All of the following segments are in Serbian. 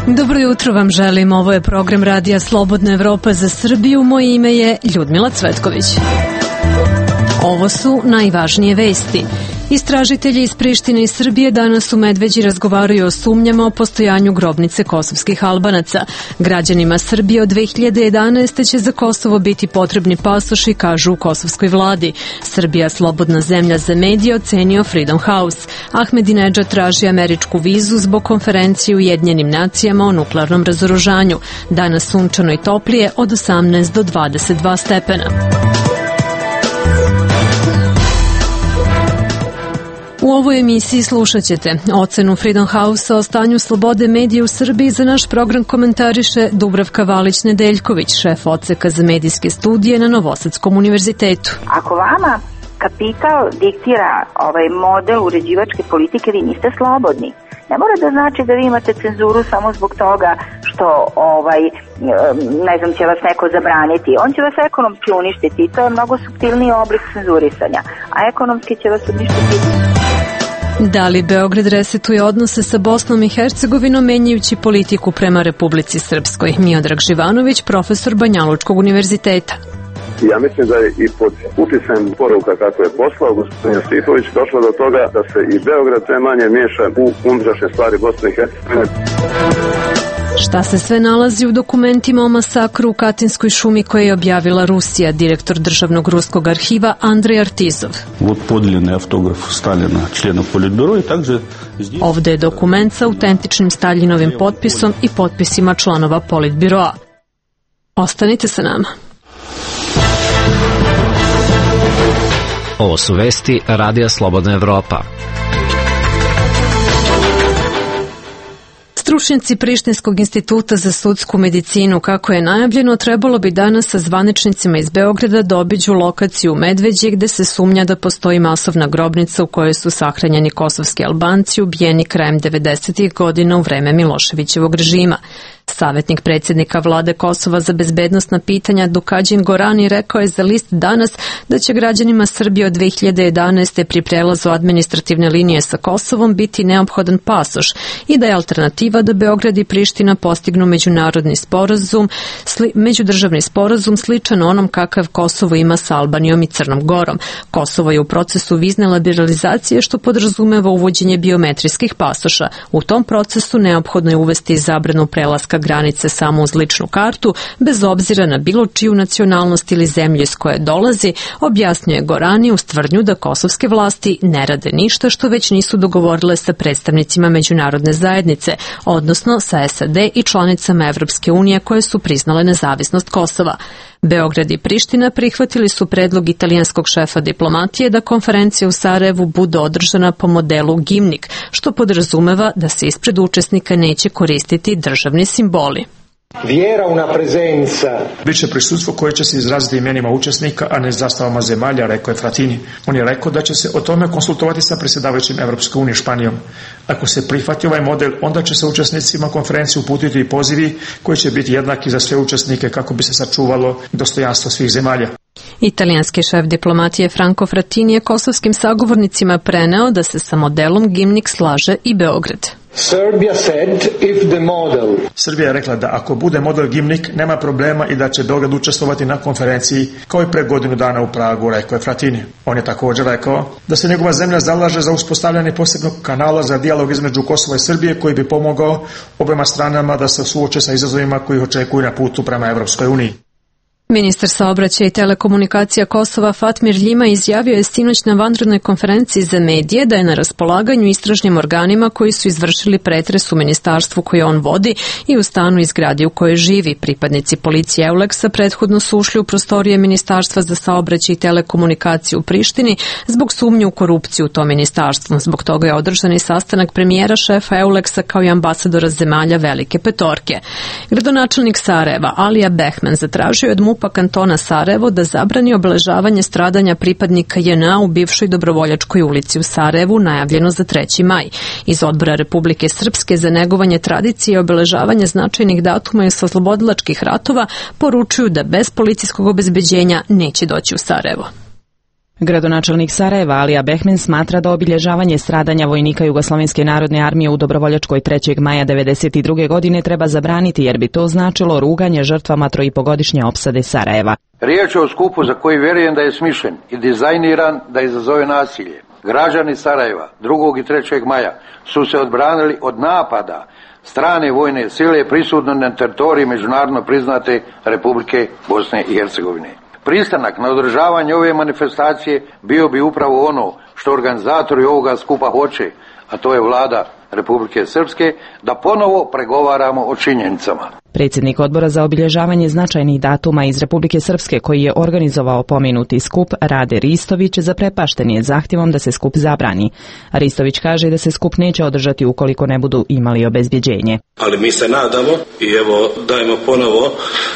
Dobro jutro vam želim, ovo je program Radija Slobodna Evropa za Srbiju, moje ime je Ljudmila Cvetković. Ovo su najvažnije vesti. Istražitelji iz Prištine i Srbije danas u Medveđi razgovaraju o sumnjama o postojanju grobnice kosovskih Albanaca. Građanima Srbije od 2011. će za Kosovo biti potrebni pasoši, kažu u kosovskoj vladi. Srbija, slobodna zemlja za medije, ocenio Freedom House. Ahmedinedžad traži američku vizu zbog konferencije u Ujedinjenim nacijama o nuklearnom razoružanju. Danas sunčano i toplije od 18 do 22 stepena. U ovoj emisiji slušat ćete ocenu Freedom House o stanju slobode medija u Srbiji. Za naš program komentariše Dubravka Valić-Nedeljković, šef odseka za medijske studije na Novosadskom univerzitetu. Ako vama kapital diktira model uređivačke politike, vi niste slobodni. Ne mora da znači da vi imate cenzuru samo zbog toga što će vas neko zabraniti. On će vas ekonomski uništiti i to je mnogo suptilniji oblik cenzurisanja, a ekonomski će vas uništiti. Da li Beograd resetuje odnose sa Bosnom i Hercegovinom menjajući politiku prema Republici Srpskoj? Miodrag Živanović, profesor Banjalučkog univerziteta. Ja mislim da je i pod uticajem poruka kako je poslao gospodin Stihović došlo do toga da se i Beograd sve manje miješa u unutrašnje stvari Bosne i Hercegovine. Šta se sve nalazi u dokumentima o masakru u Katinskoj šumi koje je objavila Rusija, direktor državnog ruskog arhiva Andrej Artizov. Ovde je dokument sa autentičnim Staljinovim potpisom i potpisima članova Politbiroa. Ostanite sa nama. Ovo su vesti Radija Slobodna Evropa. Stručnjaci Prištinskog instituta za sudsku medicinu, kako je najavljeno, trebalo bi danas sa zvaničnicima iz Beograda da obiđu lokaciju u Medveđi gde se sumnja da postoji masovna grobnica u kojoj su sahranjeni kosovski Albanci ubijeni krajem 90. godina u vreme Miloševićevog režima. Savetnik predsjednika vlade Kosova za bezbednosna pitanja Dukađin Gorani rekao je za list Danas da će građanima Srbije od 2011. pri prelazu administrativne linije sa Kosovom biti neophodan pasoš i da je alternativa da Beograd i Priština postignu međudržavni sporazum sličan onom kakav Kosovo ima sa Albanijom i Crnom Gorom. Kosovo je u procesu vizne liberalizacije što podrazumeva uvođenje biometrijskih pasoša. U tom procesu neophodno je uvesti zabranu prelaska granice samo uz ličnu kartu, bez obzira na bilo čiju nacionalnost ili zemlju iz koje dolazi, objasnjuje Gorani uz tvrdnju da kosovske vlasti ne rade ništa što već nisu dogovorile sa predstavnicima međunarodne zajednice, odnosno sa SAD i članicama Evropske unije koje su priznale nezavisnost Kosova. Beograd i Priština prihvatili su predlog italijanskog šefa diplomatije da konferencija u Sarajevu bude održana po modelu Gimnik, što podrazumeva da se ispred učesnika neće koristiti državni simboli. Biće prisustvo koje će se izraziti imenima učesnika, a ne zastavama zemalja, rekao je Fratini. On je rekao da će se o tome konsultovati sa predsjedavajućim Evropske unije Španijom. Ako se prihvati ovaj model, onda će se učesnicima konferencije uputiti i pozivi koji će biti jednaki za sve učesnike kako bi se sačuvalo dostojanstvo svih zemalja. Italijanski šef diplomatije Franco Fratini je kosovskim sagovornicima preneo da se sa modelom Gimnik slaže i Beograd. Srbija je rekla da ako bude model Gimnik nema problema i da će Beograd učestvovati na konferenciji kao i pre godinu dana u Pragu, rekao je Fratini. On je također rekao da se njegova zemlja zalaže za uspostavljanje posebnog kanala za dijalog između Kosova i Srbije koji bi pomogao obema stranama da se suoče sa izazovima koji ih očekuju na putu prema Evropskoj uniji. Ministar saobraćaja i telekomunikacija Kosova Fatmir Ljima izjavio je sinoć na vanrednoj konferenciji za medije da je na raspolaganju istražnim organima koji su izvršili pretres u ministarstvu koje on vodi i u stanu i zgradi u kojoj živi. Pripadnici policije Euleksa prethodno su ušli u prostorije Ministarstva za saobraćaj i telekomunikaciju u Prištini zbog sumnje u korupciju u tom ministarstvu. Zbog toga je održan i sastanak premijera, šefa Euleksa kao i ambasadora zemalja Velike Petorke. Gradonačelnik Sarajeva Alija Behman zatražio od MUP-a kantona Sarajevo da zabrani obeležavanje stradanja pripadnika JNA u bivšoj Dobrovoljačkoj ulici u Sarajevu, najavljeno za 3. maj. Iz Odbora Republike Srpske za negovanje tradicije i obeležavanje značajnih datuma i oslobodilačkih ratova poručuju da bez policijskog obezbeđenja neće doći u Sarajevo. Gradonačelnik Sarajeva Alija Behmen smatra da obilježavanje stradanja vojnika Jugoslovenske narodne armije u Dobrovoljačkoj 3. maja 1992. godine treba zabraniti jer bi to značilo ruganje žrtvama 3,5-godišnje opsade Sarajeva. Riječ je o skupu za koji vjerujem da je smišljen i dizajniran da izazove nasilje. Građani Sarajeva 2. i 3. maja su se odbranili od napada strane vojne sile prisutne na teritoriji međunarodno priznate Republike Bosne i Hercegovine. Pristanak na održavanje ove manifestacije bio bi upravo ono što organizatori ovoga skupa hoće, a to je vlada Republike Srpske, da ponovo pregovaramo o činjenicama. Predsjednik odbora za obilježavanje značajnih datuma iz Republike Srpske koji je organizovao pomenuti skup Rade Ristović zaprepašten je zahtjevom da se skup zabrani. Ristović kaže da se skup neće održati ukoliko ne budu imali obezbjeđenje. Ali mi se nadamo i evo dajemo ponovo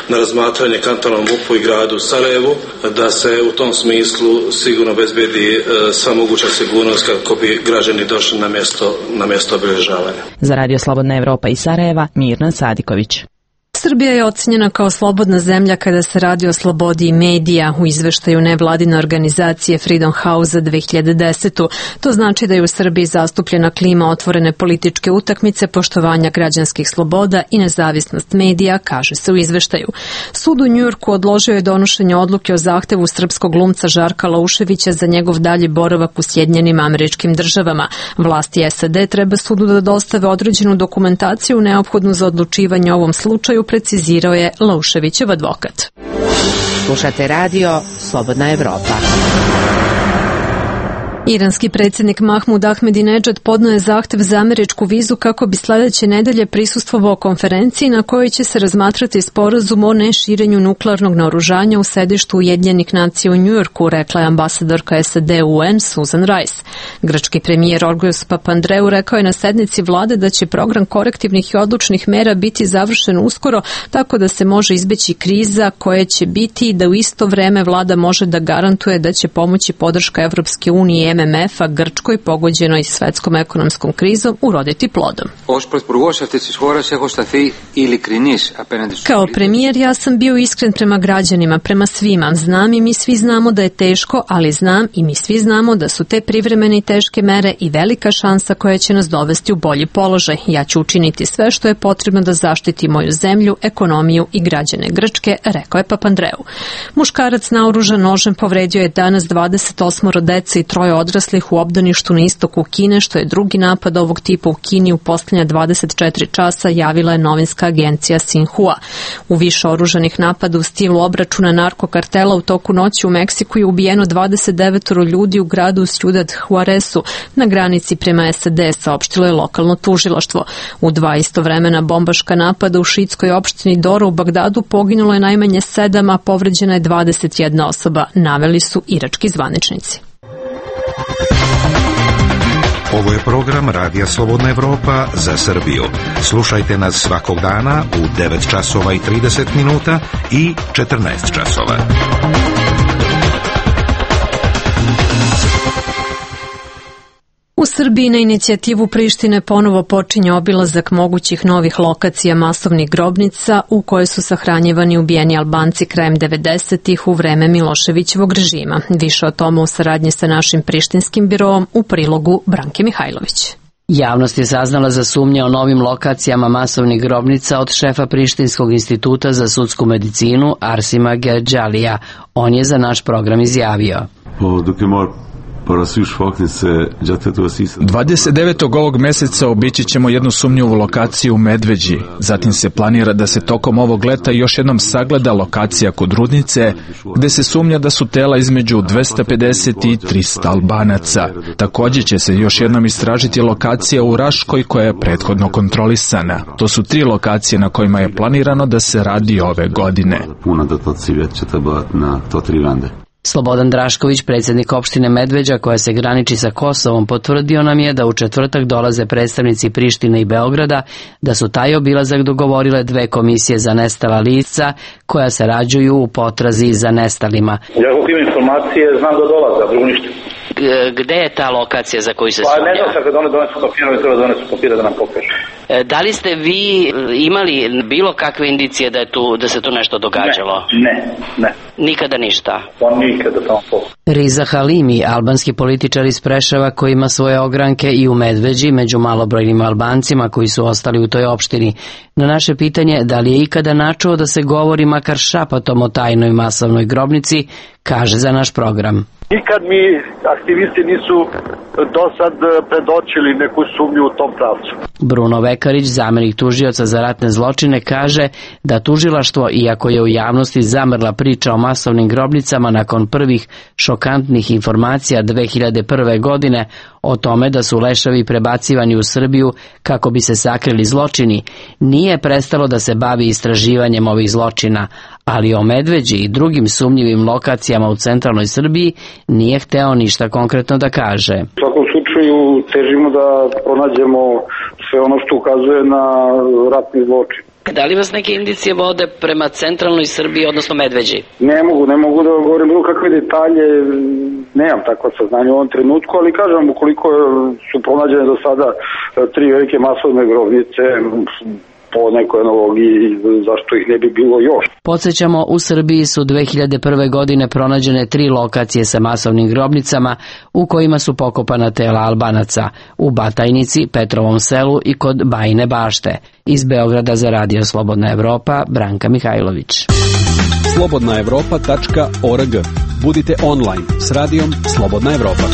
na razmatranje kantonalnom MUP-u i gradu Sarajevu da se u tom smislu sigurno obezbedi sva moguća sigurnost kako bi građani došli na mjesto obilježavanja. Za Radio Slobodna Evropa iz Sarajeva, Mirna Sadiković. Srbija je ocenjena kao slobodna zemlja kada se radi o slobodi medija u izveštaju nevladine organizacije Freedom House za 2010. To znači da je u Srbiji zastupljena klima otvorene političke utakmice, poštovanja građanskih sloboda i nezavisnost medija, kaže se u izveštaju. Sud u Njujorku odložio je donošenje odluke o zahtevu srpskog glumca Žarka Lauševića za njegov dalji boravak u Sjedinjenim Američkim Državama. Vlasti SAD treba sudu da dostave određenu dokumentaciju neophodnu za odlučivanje o ovom slučaju, precizirao je Lauševićev advokat. Slušate radio Slobodna Evropa. Iranski predsjednik Mahmud Ahmedinedžad podnio je zahtev za američku vizu kako bi sljedeće nedelje prisustvovao konferenciji na kojoj će se razmatrati sporazum o neširenju nuklearnog naoružanja u sedištu Ujedinjenih nacija u Njujorku, rekla je ambasadorka SAD u UN Susan Rice. Grčki premijer Orgojos Papandreou rekao je na sednici vlade da će program korektivnih i odlučnih mera biti završen uskoro, tako da se može izbeći kriza koje će biti i da u isto vreme vlada može da garantuje da će pomoći podrška Evropske unije i MMF-a Grčkoj pogođenoj svetskom ekonomskom krizom uroditi plodom. Kao premijer ja sam bio iskren prema građanima, prema svima. Znam i mi svi znamo da je teško, ali znam i mi svi znamo da su te privremene i teške mere i velika šansa koja će nas dovesti u bolji položaj. Ja ću učiniti sve što je potrebno da zaštiti moju zemlju, ekonomiju i građane Grčke, rekao je Papandreou. Muškarac naoružan nožem povredio je danas 28 dece i 3 odraslih u obdaništu na istoku Kine, što je drugi napad ovog tipa u Kini u posljednja 24 časa, javila je novinska agencija Sinhua. U više oružanih napada u stilu obračuna narkokartela u toku noći u Meksiku je ubijeno 29 ljudi u gradu Ciudad Juaresu na granici prema SAD, saopštilo je lokalno tužilaštvo. U 2 istovremena bombaška napada u šiitskoj opštini Dora u Bagdadu poginulo je najmanje 7, a povređena je 21 osoba, naveli su irački zvaničnici. Ovo je program Radija Slobodna Evropa za Srbiju. Slušajte nas svakog dana u 9 časova i 30 minuta i 14 časova. U Srbiji na inicijativu Prištine ponovo počinje obilazak mogućih novih lokacija masovnih grobnica u koje su sahranjivani ubijeni Albanci krajem 90-ih u vreme Miloševićevog režima. Više o tome u saradnji sa našim prištinskim biroom u prilogu Branke Mihajlović. Javnost je saznala za sumnje o novim lokacijama masovnih grobnica od šefa Prištinskog instituta za sudsku medicinu Arsima Gerđalija. On je za naš program izjavio: 29. ovog meseca obići ćemo jednu sumnjivu lokaciju u Medveđi. Zatim se planira da se tokom ovog leta još jednom sagleda lokacija kod Rudnice, gde se sumnja da su tela između 250 i 300 Albanaca. Također će se još jednom istražiti lokacija u Raškoj koja je prethodno kontrolisana. To su 3 lokacije na kojima je planirano da se radi ove godine. Slobodan Drašković, predsjednik opštine Medveđa koja se graniči sa Kosovom, potvrdio nam je da u četvrtak dolaze predstavnici Prištine i Beograda, da su taj obilazak dogovorile 2 komisije za nestala lica koja sarađuju u potrazi za nestalima. Ja kako imam informacije znam da dolaze, drugo ništa. Gde je ta lokacija za koju se sumnja? Pa ne znam, kad one donesu papire, treba donesu papire da nam pokažu. Da li ste vi imali bilo kakve indicije da se tu nešto događalo? Ne. Nikada ništa? Pa nikada tamo. Riza Halimi, albanski političar iz Preševa koji ima svoje ogranke i u Medveđi među malobrojnim Albancima koji su ostali u toj opštini. Na naše pitanje da li je ikada načuo da se govori makar šapatom o tajnoj masovnoj grobnici, kaže za naš program. Nikad mi aktivisti nisu do sad predočili neku sumnju u tom pravcu. Bruno Vekarić, zamenik tužioca za ratne zločine, kaže da tužilaštvo, iako je u javnosti zamrla priča o masovnim grobnicama nakon prvih šokantnih informacija 2001. godine o tome da su leševi prebacivani u Srbiju kako bi se sakrili zločini, nije prestalo da se bavi istraživanjem ovih zločina, ali o Medveđi i drugim sumnjivim lokacijama u centralnoj Srbiji nije hteo ništa konkretno da kaže. U svakom slučaju težimo da pronađemo sve ono što ukazuje na ratni zločin. Da li vas neke indicije vode prema centralnoj Srbiji, odnosno Medveđi? Ne mogu da govorim bilo kakve detalje, nemam takva saznanja u ovom trenutku, ali kažem, ukoliko su pronađene do sada 3 velike masovne grobnice, po nekoj analogiji, zašto ih ne bi bilo još. Podsjećamo, u Srbiji su 2001. godine pronađene 3 lokacije sa masovnim grobnicama u kojima su pokopana tela Albanaca, u Batajnici, Petrovom selu i kod Bajine Bašte. Iz Beograda za Radio Slobodna Evropa, Branka Mihajlović. slobodnaevropa.org. Budite online s radijom Slobodna Evropa.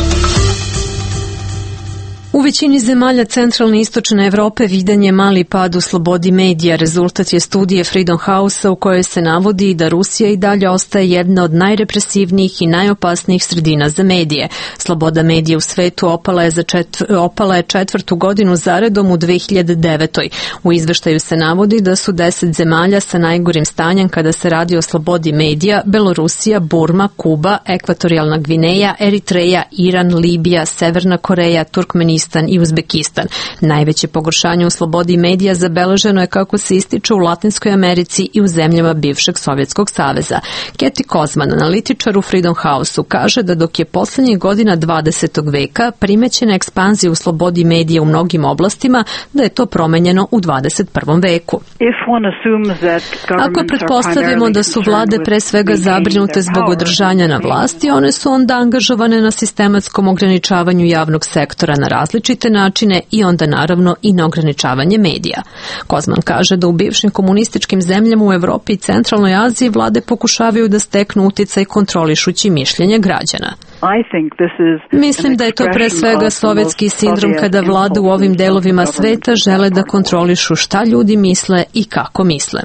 U većini zemalja centralne i istočne Evrope vidan je mali pad u slobodi medija. Rezultat je studije Freedom House-a u kojoj se navodi da Rusija i dalje ostaje jedna od najrepresivnijih i najopasnijih sredina za medije. Sloboda medija u svetu opala je 4. godinu zaredom u 2009. U izveštaju se navodi da su 10 zemalja sa najgorim stanjem kada se radi o slobodi medija: Belorusija, Burma, Kuba, Ekvatorijalna Gvineja, Eritreja, Iran, Libija, Severna Koreja, Turkmenistan i Uzbekistan. Najveće pogoršanje u slobodi medija zabeleženo je, kako se ističe, u Latinskoj Americi i u zemljama bivšeg Sovjetskog saveza. Keti Kozman, analitičar u Freedom House-u, kaže da dok je poslednjih godina 20. veka primećena ekspanzija u slobodi medija u mnogim oblastima, da je to promenjeno u 21. veku. Ako pretpostavimo da su vlade pre svega zabrinute zbog održanja na vlasti, one su onda angažovane na sistematskom ograničavanju javnog sektora na različite načine i onda naravno i na ograničavanje medija. Kozman kaže da u bivšim komunističkim zemljama u Evropi i centralnoj Aziji vlade pokušavaju da steknu uticaj kontrolišući mišljenje građana. Mislim da je to pre svega sovjetski sindrom kada vlade u ovim delovima sveta žele da kontrolišu šta ljudi misle i kako misle.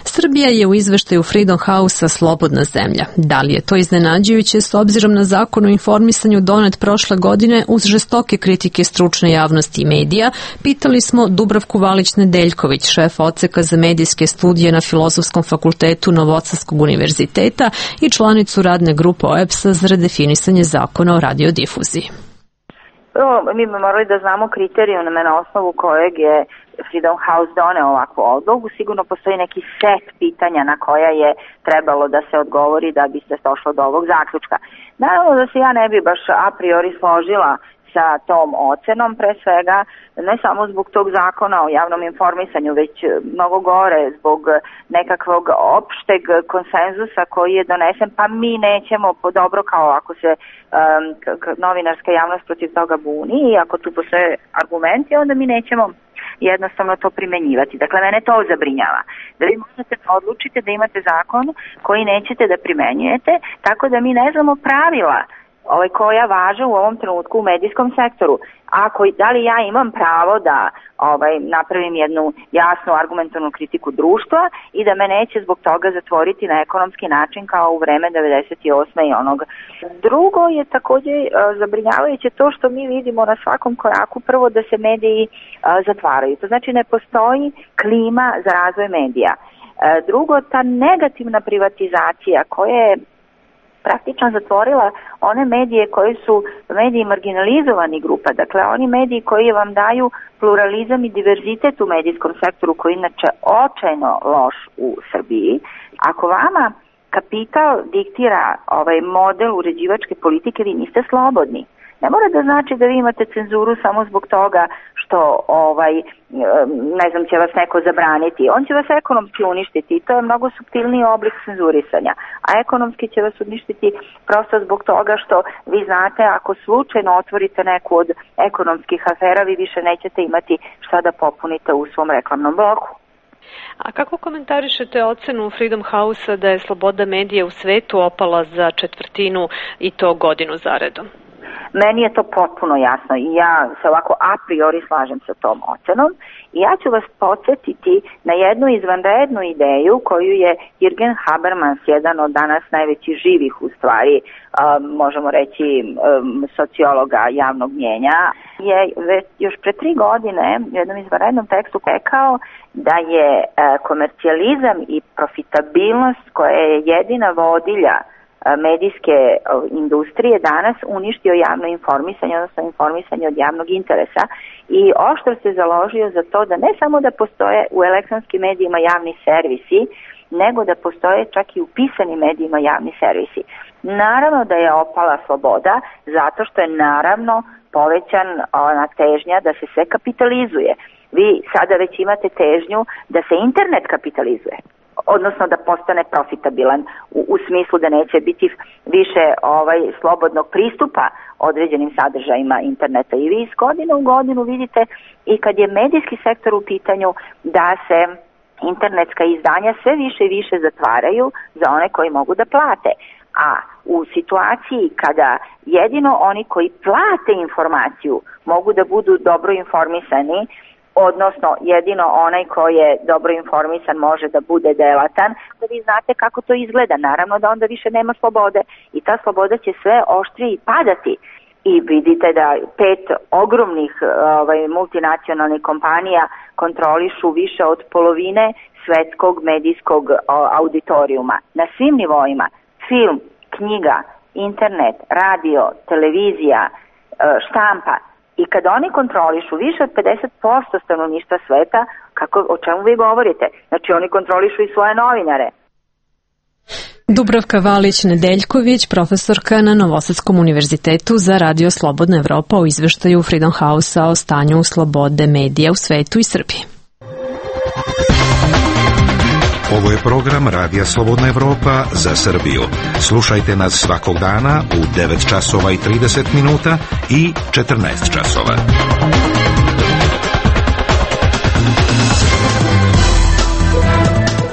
Srbija je u izveštaju Freedom House-a slobodna zemlja. Da li je to iznenađujuće s obzirom na zakon o informisanju donet prošle godine uz žestoke kritike stručne javnosti i medija? Pitali smo Dubravku Valić-Nedeljković, šef odseka za medijske studije na Filozofskom fakultetu Novosadskog univerziteta i članicu radne grupe OEBS-a za redefinisanje zakona o radiodifuziji. Prvo, mi bi morali da znamo kriterijume na osnovu kojeg je Freedom House doneo ovakvu odluku. Sigurno postoji neki set pitanja na koja je trebalo da se odgovori da bi se došlo do ovog zaključka. Naravno da se ja ne bi baš a priori složila sa tom ocenom, pre svega ne samo zbog tog zakona o javnom informisanju, već mnogo gore zbog nekakvog opšteg konsenzusa koji je donesen, pa mi nećemo dobro, kao ako se novinarska javnost protiv toga buni i ako tu postoje argumenti, onda mi nećemo jednostavno to primenjivati. Dakle, mene to zabrinjava. Da vi možete odlučiti da imate zakon koji nećete da primenjujete, tako da mi ne znamo pravila koja važe u ovom trenutku u medijskom sektoru. Da li ja imam pravo da napravim jednu jasnu argumentovnu kritiku društva i da me neće zbog toga zatvoriti na ekonomski način kao u vreme 98. i onog. Drugo je također zabrinjavajuće to što mi vidimo na svakom koraku, prvo da se mediji zatvaraju. To znači ne postoji klima za razvoj medija. Drugo, ta negativna privatizacija koja je praktično zatvorila one medije koji su mediji marginalizovani grupa, dakle oni mediji koji vam daju pluralizam i diverzitet u medijskom sektoru koji je inače očajno loš u Srbiji. Ako vama kapital diktira model uređivačke politike, vi niste slobodni. Ne mora da znači da vi imate cenzuru samo zbog toga što ne znam, će vas neko zabraniti. On će vas ekonomski uništiti i to je mnogo suptilniji oblik cenzurisanja. A ekonomski će vas uništiti prosto zbog toga što vi znate, ako slučajno otvorite neku od ekonomskih afera, vi više nećete imati šta da popunite u svom reklamnom bloku. A kako komentarišete ocenu Freedom House-a da je sloboda medija u svetu opala za četvrtinu i to godinu zaredom? Meni je to potpuno jasno i ja se ovako a priori slažem sa tom ocenom i ja ću vas podsjetiti na jednu izvanrednu ideju koju je Jürgen Habermas, jedan od danas najvećih živih u stvari, možemo reći sociologa javnog mnjenja, je već još pre 3 godine u jednom izvanrednom tekstu rekao da je komercijalizam i profitabilnost koja je jedina vodilja medijske industrije danas uništio javno informisanje, odnosno informisanje od javnog interesa i oštro se založio za to da ne samo da postoje u elektronskim medijima javni servisi, nego da postoje čak i u pisanim medijima javni servisi. Naravno da je opala sloboda, zato što je naravno povećana težnja da se sve kapitalizuje. Vi sada već imate težnju da se internet kapitalizuje, odnosno da postane profitabilan u smislu da neće biti više slobodnog pristupa određenim sadržajima interneta. I vi iz godine u godinu vidite i kad je medijski sektor u pitanju da se internetska izdanja sve više i više zatvaraju za one koji mogu da plate. A u situaciji kada jedino oni koji plate informaciju mogu da budu dobro informisani, odnosno jedino onaj koji je dobro informisan može da bude delatan, da vi znate kako to izgleda. Naravno da onda više nema slobode i ta sloboda će sve oštrije padati. I vidite da 5 ogromnih multinacionalnih kompanija kontrolišu više od polovine svetskog medijskog auditorijuma. Na svim nivoima, film, knjiga, internet, radio, televizija, štampa. I kada oni kontrolišu više od 50% stanovništva sveta, o čemu vi govorite? Znači oni kontrolišu i svoje novinare. Dubravka Valić-Nedeljković, profesorka na Novosadskom univerzitetu za Radio Slobodna Evropa o izveštaju Freedom House-a o stanju slobode medija u svetu i Srbiji. Ovo je program Radija Slobodna Evropa za Srbiju. Slušajte nas svakog dana u 9 časova i 30 minuta i 14 časova.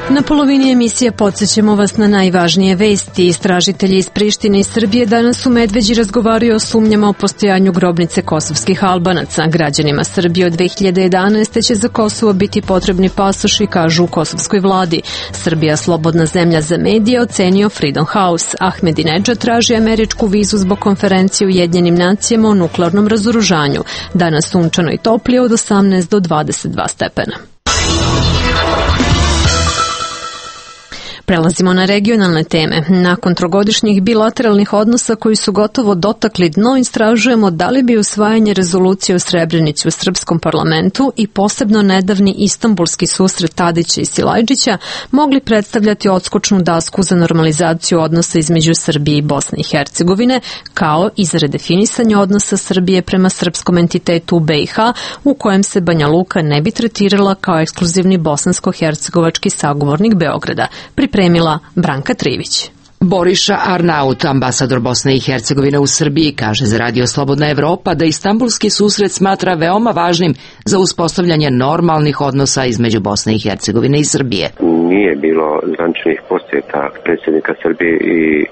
Na polovini emisije podsjećamo vas na najvažnije vesti. Istražitelji iz Prištine i Srbije danas u Medveđi razgovaraju o sumnjama o postojanju grobnice kosovskih Albanaca. Građanima Srbije od 2011. će za Kosovo biti potrebni pasoši, kažu u kosovskoj vladi. Srbija, slobodna zemlja za medije, ocenio Freedom House. Ahmedinedžad traži američku vizu zbog konferencije u Ujedinjenim nacijama o nuklearnom razoružanju. Danas sunčano i toplije od 18 do 22 stepena. Prelazimo na regionalne teme. Nakon trogodišnjih bilateralnih odnosa koji su gotovo dotakli dno, istražujemo da li bi usvajanje rezolucije o Srebrenici u srpskom parlamentu i posebno nedavni istambulski susret Tadića i Silajđića mogli predstavljati odskočnu dasku za normalizaciju odnosa između Srbije i Bosne i Hercegovine, kao i za redefinisanje odnosa Srbije prema srpskom entitetu u BiH, u kojem se Banja Luka ne bi tretirala kao ekskluzivni bosansko-hercegovački sagovornik Beograda. Pripremila Branka Trivić. Boriša Arnaut, ambasador Bosne i Hercegovine u Srbiji, kaže za Radio Slobodna Evropa da istambulski susret smatra veoma važnim za uspostavljanje normalnih odnosa između Bosne i Hercegovine i Srbije. Nije bilo zvaničnih posjeta predsjednika Srbije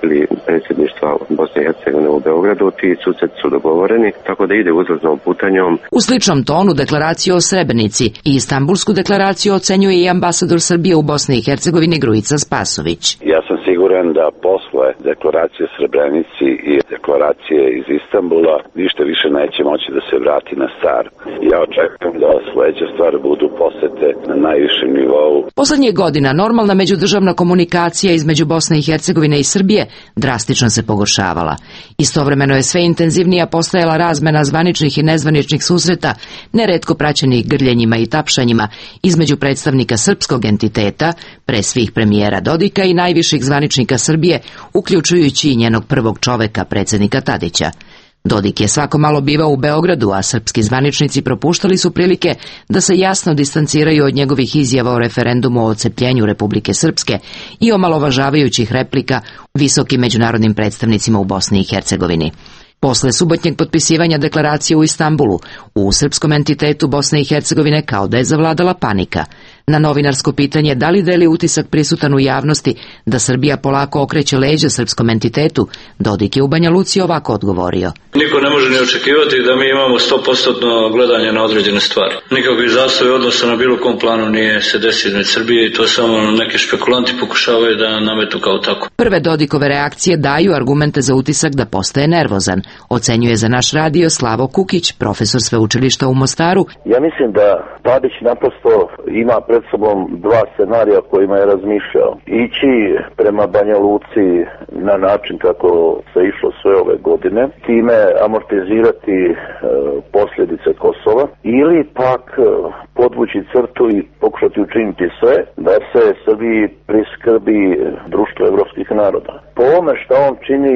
ili predsjedništva Bosne i Hercegovine u Beogradu. Ti susreti su dogovoreni, tako da ide uzlaznom putanjom. U sličnom tonu deklaraciju o Srebrenici i istambulsku deklaraciju ocenjuje i ambasador Srbije u Bosni i Hercegovini Grujica Spasović. Ja sam siguran da posle deklaracije Srebrenici i deklaracije iz Istanbula ništa više neće moći da se vrati na staro. Ja očekujem da sledeće stvari budu posete na najvišem nivou. Poslednjih godina normalna međudržavna komunikacija između Bosne i Hercegovine i Srbije drastično se pogoršavala. Istovremeno je sve intenzivnija postajala razmena zvaničnih i nezvaničnih susreta, neretko praćenih grljenjima i tapšanjima između predstavnika srpskog entiteta, pre svih premijera Dodika i najviših zvaničnika Srbije, uključujući i njenog prvog čoveka, predsjednika Tadića. Dodik je svako malo bivao u Beogradu, a srpski zvaničnici propuštali su prilike da se jasno distanciraju od njegovih izjava o referendumu o odcepljenju Republike Srpske i omalovažavajućih replika visokim međunarodnim predstavnicima u Bosni i Hercegovini. Posle subotnjeg potpisivanja deklaracije u Istanbulu, u srpskom entitetu Bosne i Hercegovine kao da je zavladala panika. Na novinarsko pitanje da li deli utisak prisutan u javnosti da Srbija polako okreće leđa srpskom entitetu, Dodik je u Banja Luci ovako odgovorio. Niko ne može ni očekivati da mi imamo 100% gledanje na određene stvari. Nikakvi zastoji odnosa na bilo kom planu nije se desio na Srbije i to samo neki špekulanti pokušavaju da nametu kao tako. Prve Dodikove reakcije daju argumente za utisak da postaje nervozan, ocenjuje za naš radio Slavo Kukić, profesor sveučilišta u Mostaru. Ja mislim da Tadić naprosto ima pred sobom dva scenarija kojima je razmišljao. Ići prema Banja Luci na način kako se išlo sve ove godine, time amortizirati posljedice Kosova, ili pak podvući crtu i pokušati učiniti sve da se Srbiji priskrbi društvo evropskih naroda. Po ovome što on čini,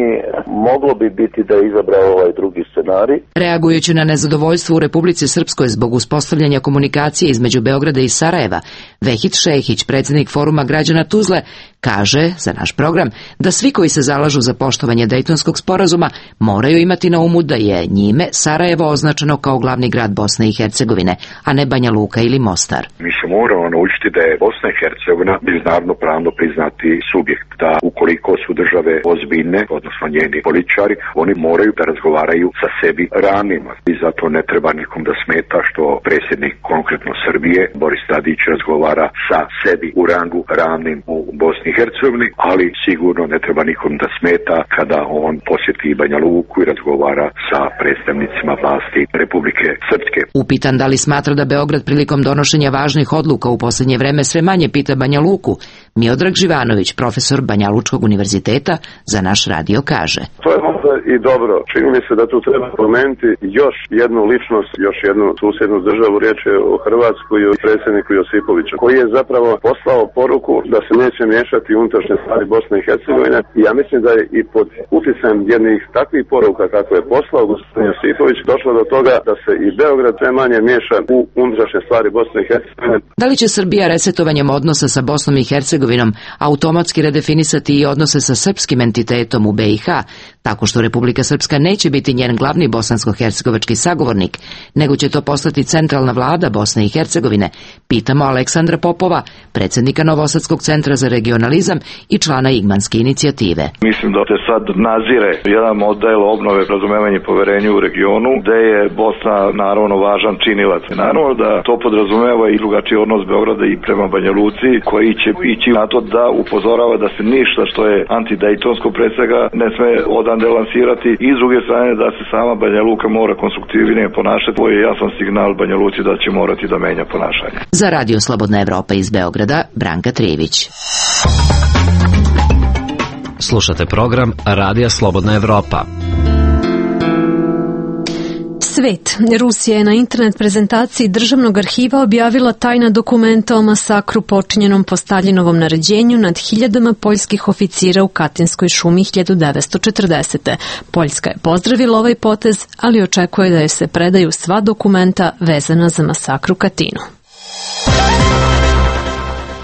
moglo bi biti da je izabrao ovaj drugi scenarij. Reagujući na nezadovoljstvo u Republici Srpskoj zbog uspostavljanja komunikacije između Beograda i Sarajeva, Vehid Šehić, predsjednik Foruma građana Tuzle, kaže za naš program da svi koji se zalažu za poštovanje Dejtonskog sporazuma moraju imati na umu da je njime Sarajevo označeno kao glavni grad Bosne i Hercegovine, a ne Banja Luka ili Mostar. Mi se moramo naučiti da je Bosna i Hercegovina međunarodno pravno priznati subjekt, da ukoliko su države ozbiljne, odnosno njeni političari, oni moraju da razgovaraju sa sebi ravnima. I zato ne treba nikom da smeta što predsjednik konkretno Srbije, Boris Tadić, razgovara sa sebi u rangu ravnim u Bosni i Hercegovini, ali sigurno ne treba nikom da smeta kada on posjeti Banja Luku i razgovara sa predstavnicima vlasti Republike Srpske. Upitan da li smatra da Beograd prilikom donošenja važnih odluka u posljednje vreme sve manje pita Banja Luku, Miodrag Živanović, profesor Banja Lučkog univerziteta, za naš radio kaže. To je možda i dobro. Čini mi se da tu treba pomenuti još jednu ličnost, još jednu susjednu državu, riječ je o Hrvatskoj i o predsjedniku Josipoviću, koji je zapravo poslao poruku da se neće miješati u unutrašnje stvari Bosne i Hercegovine. I ja mislim da je i pod utjecajem jednih takvih poruka kako je poslao gospodin Josipović došlo do toga da se i Beograd sve manje miješa u unutrašnje stvari Bosne i Hercegovine. Da li će Srbija resetovanjem odnosa sa Bosnom i Hercegovinom automatski redefinisati i odnose sa srpskim entitetom u BiH, tako što Republika Srpska neće biti njen glavni bosansko-hercegovački sagovornik, nego će to postati centralna vlada Bosne i Hercegovine, pitamo Aleksandra Popova, predsjednika Novosadskog centra za regionalizam i člana Igmanske inicijative. Mislim da se sad nazire jedan model obnove, razumevanje i poverenja u regionu, gde je Bosna naravno važan činilac. Naravno da to podrazumeva i drugačiji odnos Beograda i prema Banja Luci, koji će ići na to da upozorava da se ništa što je antidejtonsko pre svega ne sme odande lansirati i s druge strane da se sama Banja Luka mora konstruktivnije ponašati. Ovo je jasan signal Banja Luci da će morati da menja ponašanje. Za Radio Slobodna Evropa iz Beograda, Branka Trijević. Slušate program Radija Slobodna Evropa. Svet. Rusija je na internet prezentaciji Državnog arhiva objavila tajna dokumenta o masakru počinjenom po Staljinovom naređenju nad hiljadama poljskih oficira u Katinskoj šumi 1940. Poljska je pozdravila ovaj potez, ali očekuje da joj se predaju sva dokumenta vezana za masakr u Katinu.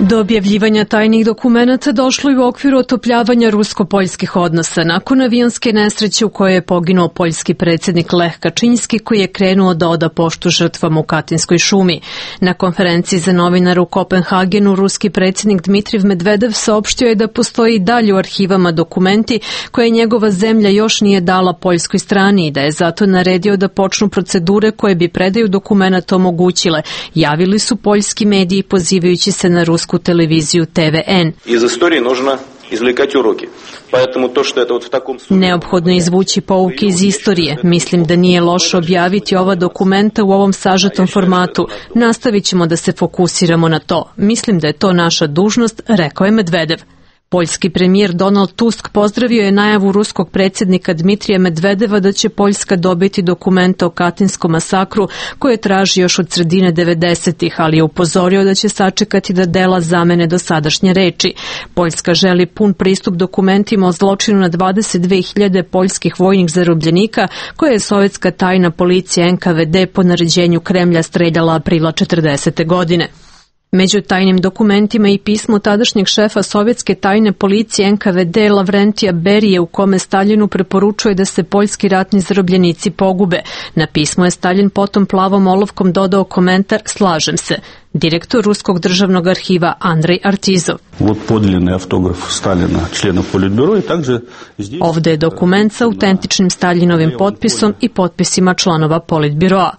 Do objavljivanja tajnih dokumenata došlo je u okviru otopljavanja rusko-poljskih odnosa nakon avionske nesreće u kojoj je poginuo poljski predsjednik Lech Kačinski, koji je krenuo da oda poštu žrtvama u Katinskoj šumi. Na konferenciji za novinare u Kopenhagenu ruski predsjednik Dmitriv Medvedev saopštio je da postoji dalje u arhivama dokumenti koje njegova zemlja još nije dala poljskoj strani i da je zato naredio da počnu procedure koje bi predaju dokumenta omogućile, javili su poljski mediji pozivajući se na rusku televiziju TVN. Iz istorije nužno izvлекать uroki. Neophodno je izvući pouke iz istorije. Mislim da nije loše objaviti ova dokumenta u ovom sažetom formatu. Nastavit ćemo da se fokusiramo na to. Mislim da je to naša dužnost, rekao je Medvedev. Poljski premijer Donald Tusk pozdravio je najavu ruskog predsjednika Dmitrija Medvedeva da će Poljska dobiti dokumente o Katinskom masakru koje traži još od sredine 90-ih, ali je upozorio da će sačekati da dela zamene dosadašnje reči. Poljska želi pun pristup dokumentima o zločinu na 22.000 poljskih vojnih zarobljenika koje je sovjetska tajna policija NKVD po naređenju Kremlja streljala aprila 40. godine. Među tajnim dokumentima i pismo tadašnjeg šefa sovjetske tajne policije NKVD Lavrentija Berije u kome Staljinu preporučuje da se poljski ratni zarobljenici pogube. Na pismo je Staljin potom plavom olovkom dodao komentar "Slažem se". Direktor Ruskog državnog arhiva Andrej Artizov. Ovde je dokument sa autentičnim Staljinovim potpisom i potpisima članova Politbiroa.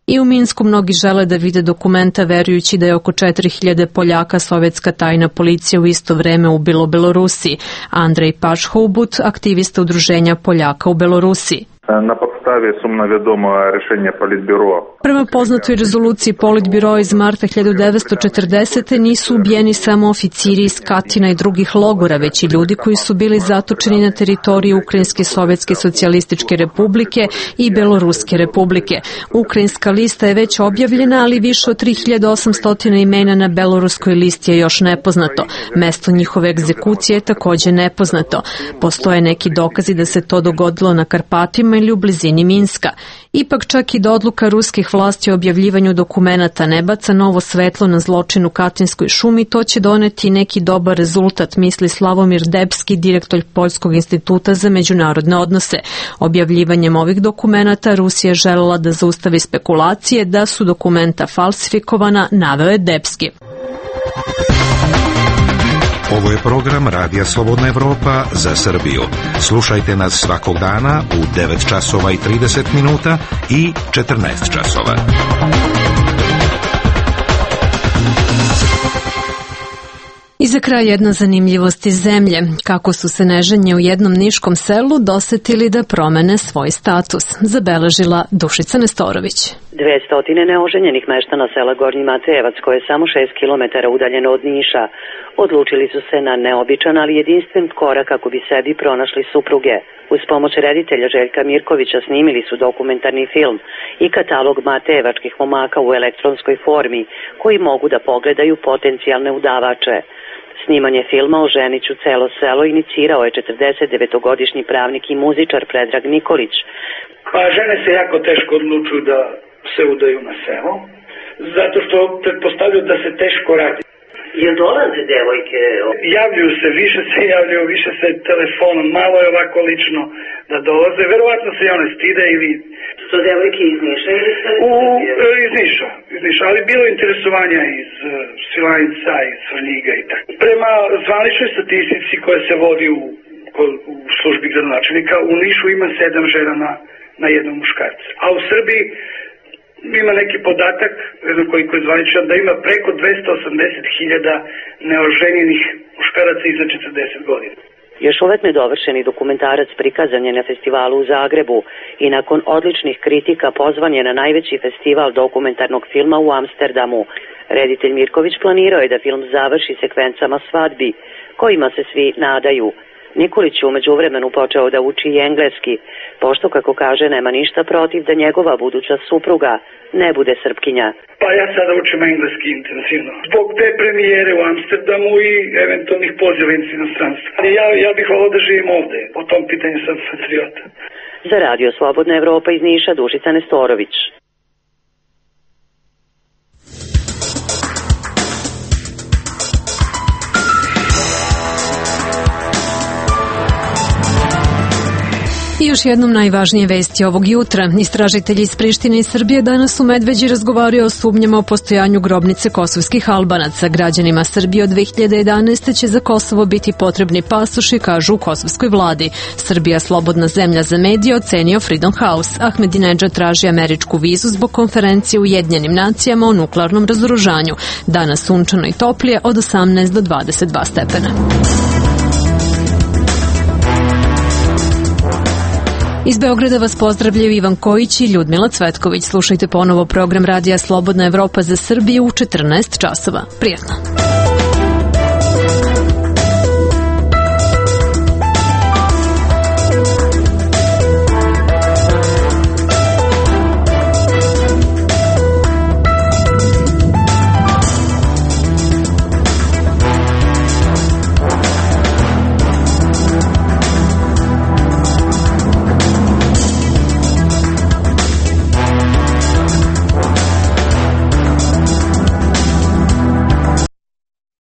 I u Minsku mnogi žele da vide dokumenta verujući da je oko 4000 Poljaka sovjetska tajna policija u isto vreme ubilo u Belorusiji. Andrej Pašhoubut, aktivista udruženja Poljaka u Belorusiji. Na podstavi sumnavjedoma rešenja Politbiroa. Prema poznatoj rezoluciji Politbiroa iz marta 1940. nisu ubijeni samo oficiri iz Katina i drugih logora, već i ljudi koji su bili zatočeni na teritoriji Ukrajinske Sovjetske socijalističke republike i Beloruske republike. Ukrajinska lista je već objavljena, ali više od 3800 imena na beloruskoj listi je još nepoznato. Mesto njihove egzekucije je također nepoznato. Postoje neki dokazi da se to dogodilo na Karpatima ili u blizini Minska. Ipak čak i da odluka ruskih vlasti o objavljivanju dokumenata ne baca novo svetlo na zločin u Katinskoj šumi, to će doneti neki dobar rezultat, misli Slavomir Debski, direktor Poljskog instituta za međunarodne odnose. Objavljivanjem ovih dokumenata Rusija je želela da zaustavi spekulacije da su dokumenta falsifikovana, naveo je Debski. Ovo je program Radija Slobodna Evropa za Srbiju. Slušajte nas svakog dana u 9 časova i 30 minuta i 14 časova. I za kraj jedna zanimljivost iz zemlje. Kako su se neženje u jednom niškom selu dosetili da promene svoj status, zabeležila Dušica Nestorović. 200 neoženjenih meštana sela Gornji Matejevac, koje je samo 6 km udaljeno od Niša, odlučili su se na neobičan, ali jedinstven korak kako bi sebi pronašli supruge. Uz pomoć reditelja Željka Mirkovića snimili su dokumentarni film i katalog matejevačkih momaka u elektronskoj formi, koji mogu da pogledaju potencijalne udavače. Snimanje filma o Ženiću celo selo inicirao je 49-godišnji pravnik i muzičar Predrag Nikolić. Pa žene se jako teško odlučuju da se udaju na selo, zato što pretpostavljaju da se teško radi. Jel dolaze devojke? Javljaju se, više se telefonom, malo je ovako lično da dolaze. Verovatno se i one stide ili... Su devojke iz Niša ili se... Iz Niša, ali bilo interesovanja iz Svilajnca, iz Svrljiga i tako. Prema zvaničnoj statistici koja se vodi u službi gradonačelnika, u Nišu ima 7 žena na jednog muškarca. A u Srbiji ima neki podatak, koji je zvaničan, da ima preko 280.000 neoženjenih muškaraca iznad 40 godina. Još uvek nedovršeni dokumentarac prikazan je na festivalu u Zagrebu i nakon odličnih kritika pozvan je na najveći festival dokumentarnog filma u Amsterdamu. Reditelj Mirković planirao je da film završi sekvencama svadbi, kojima se svi nadaju. Nikolić je umeđu vremenu počeo da uči i engleski, pošto, kako kaže, nema ništa protiv da njegova buduća supruga ne bude Srpkinja. Pa ja sada učim engleski intenzivno. Zbog te premijere u Amsterdamu i eventualnih poziva iz inostranstva. Ja bih volao da živim ovde. Po tom pitanju sam patriota. Za Radio Slobodna Evropa iz Niša, Dušica Nestorović. I još jednom najvažnije vesti ovog jutra. Istražitelji iz Prištine i Srbije danas u Medveđi razgovaraju o sumnjama o postojanju grobnice kosovskih Albanaca. Građanima Srbije od 2011. će za Kosovo biti potrebni pasoši, kažu u kosovskoj vladi. Srbija, slobodna zemlja za medije, ocenio Freedom House. Ahmedinedžad traži američku vizu zbog konferencije u Ujedinjenim nacijama o nuklearnom razoružanju. Danas sunčano i toplije od 18 do 22 stepena. Iz Beograda vas pozdravljaju Ivan Kojić i Ljudmila Cvetković. Slušajte ponovo program Radija Slobodna Evropa za Srbiju u 14 časova. Prijetno!